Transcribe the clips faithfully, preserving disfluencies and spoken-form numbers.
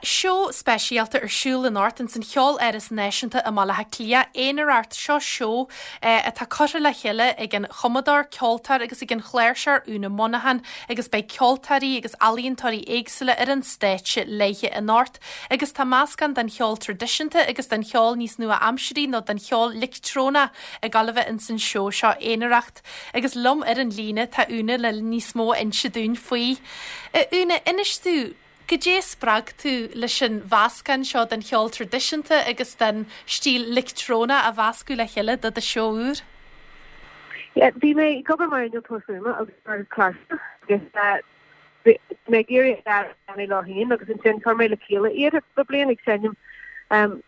seó speisialta ar siúl anocht ins an Cheoláras Náisiúnta i mBaile Átha Cliath, Aonaracht seo seó eh, atá curtha le chéile ag an chumadóir ceoltóir agus ag an chláirseoir Úna Monaghan agus beidh ceoltóirí agus ealaíontóirí éagsúla ar an stáitse léi anocht agus tá meascán den cheol traidisiúnta agus den cheol níos nua-aimseartha nó den cheol leictreonach ag gabháil a bheith ins an seó seo Aonaracht agus liom ar an líne tá Úna le níos mó a inse dúinn faoi. Úna inis domh Goidé a spreag tú leis an mheascán seo den cheol traidisiúnta agus den stíl leictreonach a mheascadh le chéile do do seó úr? Bhí mé ag obair mar innealtóir fuaime agus mar chláirseoir agus mé ag iarraidh lá féin agus ansin chuir mé le chéile iad le bliain ag seinm um,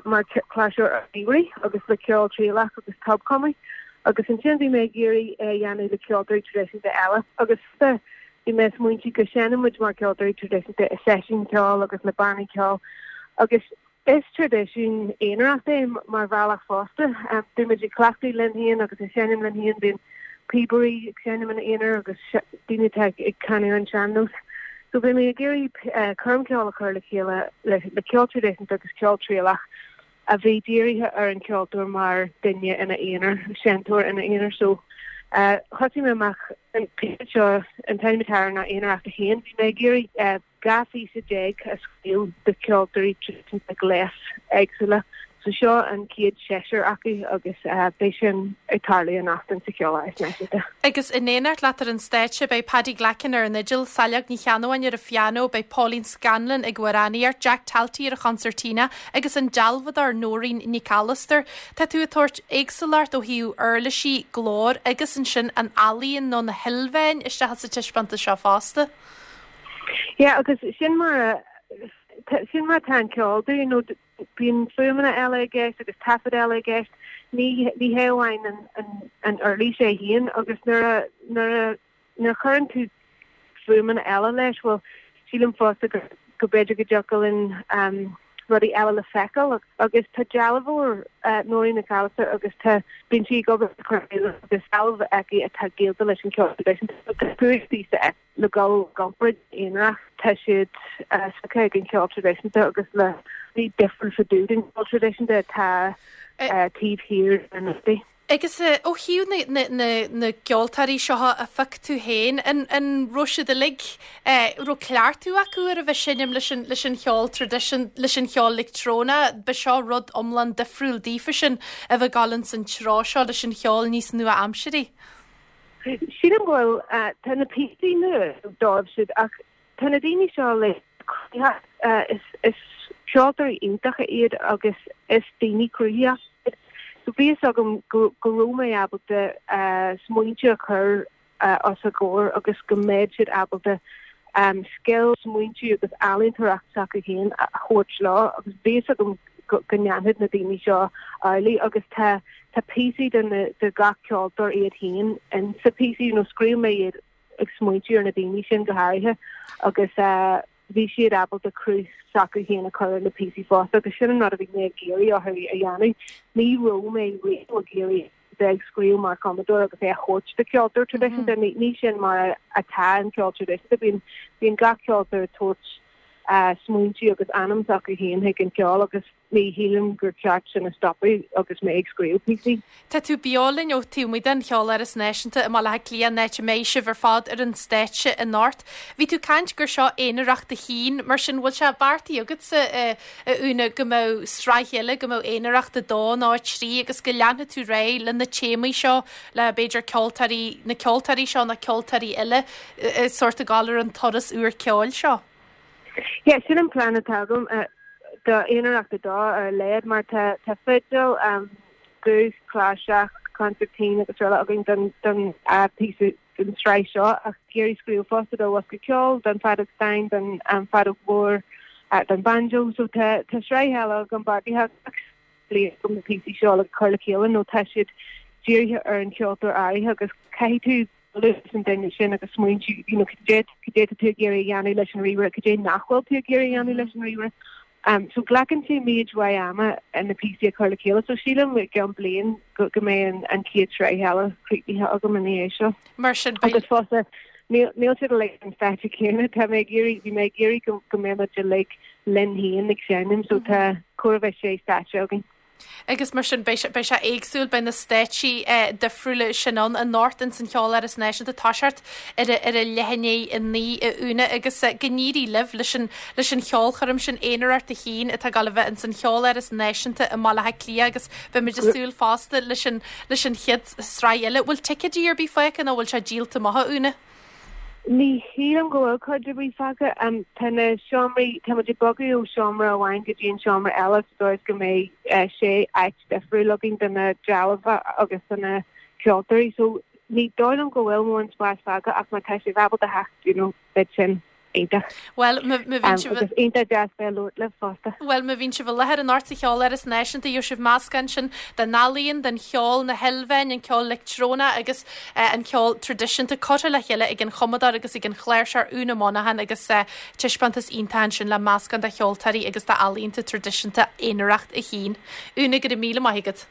mar chláirseoir ríomhairí agus le ceol trialach agus tobchumadh agus ansin bhí mé ag iarraidh é dhéanamh le ceoltóirí traidisiúnta eile agus bhí mé smaointigh go seinneann mar ceoltóirí traidisiúnta i seisiún ceoil agus le bannaí ceoil agus is traidisiún aonaracht é mar bhealach fosta um, Bímid ag cleachtadh linn féin agus ag seinm linn féin bíonn píobairí ag seinm ina aonar agus daoine ag canadh an sean-nós. So bhí mé ag iarraidh uh, coirm ceoil a chur le chéile le, le ceol traidisiúnta agus ceol trialach a bhí dírithe ar an ceoltóir mar duine ina aonar seinnteoir ina aonar so uh, thosaigh mé amach an seo an t-ainm atá air ná Aonaracht a haon bhí mé ag iarraidh uh, dhá phíosa déag a scríobh do cheoltóirí le gléas éagsúla. So seo an chéad seisear acu agus uh, beidh sin ag tarlú anocht sa Cheoláras Náisiúnta. Agus in éineacht leat ar an stáitse beidh Paddy Glackin ar an fhidil, Saileog Ní Cheannabháin ar an phianó, beidh Pauline Scanlon ag amhránaíocht, Jack Talty ar an chonsairtín agus an dealbhádóir Nóirín Nic Allister. Tá tú ag tabhairt éagsúlacht ó thaobh uirlisí glór agus ansin an ealaíon nó na hilmheáin isteach sa taispeántas seo fosta. Ja agus sin mar sin mar tá ceol you know bíonn fuaimeanna eile i gceist agus taifead eile i gceist ní ní hé amháin an an an uirlis é féin agus nuair a nuair a nuair chuireann tú fuaimeanna eile leis well sílim fosta go go b'fhéidir go dtiocfadh linn um, rudaí eile le feiceáil agus tá dealbhóir uh, Nóirín Nic Allister agus tá bíonn sí ag obair agus dealbh aici atá gaolta leis an ceol leis le gal gompa aonach tá siad spreagtha ag an ceol traidisiúnta agus le ní difriúil fá dtaobh den ceol traidisiúnta atá taobh thiar an rudaí. Agus ó thaobh na, na, na gceoltóirí seo a phioc tú féin an, an raibh siad uilig raibh cleachtadh acu ar a bheith seinm leis an, leis an cheol traidisiún leis an cheol leictreonach, ba seo rud iomlán difriúil daofa sin a bheith ag dul san treo seo leis an cheol níos nua-aimseartha. Sílim go bhfuil tá na píosaí nua dóibh siúd ach tá na daoine seo le is is ceoltóirí iontacha iad agus is daoine cruthaitheacha. So bhí agam go raibh mé ábalta smaointe a chur os a gcomhair agus go mbeadh siad ábalta um, scil smaointe agus ealaíontóireacht s'acu féin a thabhairt leo agus bhí agam go ndéanfadh na daoine seo amhlaidh agus tá tá píosaí den de gach ceoltóir iad féin in sa píosaí nó scríobh mé iad ag smaointiú ar na daoine sin go háirithe agus uh, bhí siad ábalta cruth s'acu féin a chur na píosaí fosta agus sin an rud a bhí mé ag iarraidh orthu a dhéanamh. Ní raibh mé riamh ag iarraidh bheith scríobh mar chumadóir agus é a thabhairt do ceoltóir traidisiúnta mm -hmm. ní sin mar atá an ceol traidisiúnta bíonn bíonn gach ceoltóir tabhairt uh, smaointe agus anam s'acu féin chuig an ceol agus ní shílim gur ceart sin a stopadh agus mé ag scríobh píosaí. Tá tú beo linn ó taobh amuigh den Cheoláras Náisiúnta i mBaile Átha Cliath áit a mbeidh sibh ar fad ar an stáitse anocht. Bhí tú ag caint gur seo Aonaracht a haon, mar sin bhfuil sé beartaithe agatsa Úna go mbeadh sraith eile go mbeadh Aonaracht a dó nó a trí agus go leanfaidh tú réidh le na téamaí seo le b'fhéidir ceoltóirí na ceoltóirí seo na ceoltóirí eile sórt ag dul ar an turas úr ceoil seo. Ja, sin an plean atá agam uh, do Aonaracht a dó ar leid mar tá tá fidil um, guth cláirseach consairtín agus eile againn don don uh, píosa den sraith seo ach ag iarraidh scríobh fosta do bhosca ceoil don fheadóg stáin don um, feadóg mhór uh, don banjo so tá tá sraith eile agam beartaithe bliain na píosaí seo le cur le chéile nó tá siad dírithe ar an ceoltóir áirithe agus caithfidh tú an duine sin agus smaointiú you know cad é tú ag iarraidh dhéanamh leis an ríomhaire cad é nach bhfuil tú ag iarraidh dhéanamh leis an ríomhaire. Um, so glacann sé méid mhaith ama an na píosaí a chur le chéile so sílim gan bliain go go mbeidh an, an chéad sraith eile críochnaithe agam in é seo. Mar sin agus fosta Níl níl siad uilig an stáitse céanna tá mé ag iarraidh bhí mé ag iarraidh go go mbeidh muid uilig linn féin ag seinm so tá chóir a bheith sé stáitse againn. Agus mar sin beidh sé éagsúil beidh na stáitsí eh, difriúla sin ann anocht in san Cheoláras Náisiúnta toiseacht ar ar a leath i ndiaidh a naoi a Úna agus eh, go n-éirí libh leis an leis an cheolchoirm sin Aonaracht a haon atá ag gabháil a bheith in san Cheoláras Náisiúnta i mBaile Átha Cliath agus beimid ag súil fosta leis an leis an chéad sraith eile. Bhfuil ticéidí ar bith fágtha nó bhfuil sé díolta amach a Úna? Ní shílim go bhfuil cuid ar bith fágtha um, tá na seomraí tá muid ag bogadh ó seomra amháin go dtí an seomra eile sa dóigh go mbeidh uh, sé áit difriúil againn do na dealbha agus do na ceoltóirí so ní dóigh liom go bhfuil mórán spás fágtha ach má tá sibh ábalta theacht you know, beidh sin iontach. Well má bhíonn sibh agus iontach deas bheith labhairt libh fosta. Well má bhíonn sibh i láthair anocht sa Cheoláras Náisiúnta gheobhaidh sibh meascán sin den ealaíon, den cheol na hilmheáin, an ceol leictreonach agus uh, an ceol traidisiúnta curtha le chéile ag an chumadóir agus ag an chláirseoir Úna Monaghan agus uh, taispeántas iontach sin le meascán de cheoltóirí agus d'ealaíonta traidisiúnta Aonaracht a haon. Úna go raibh míle maith agat.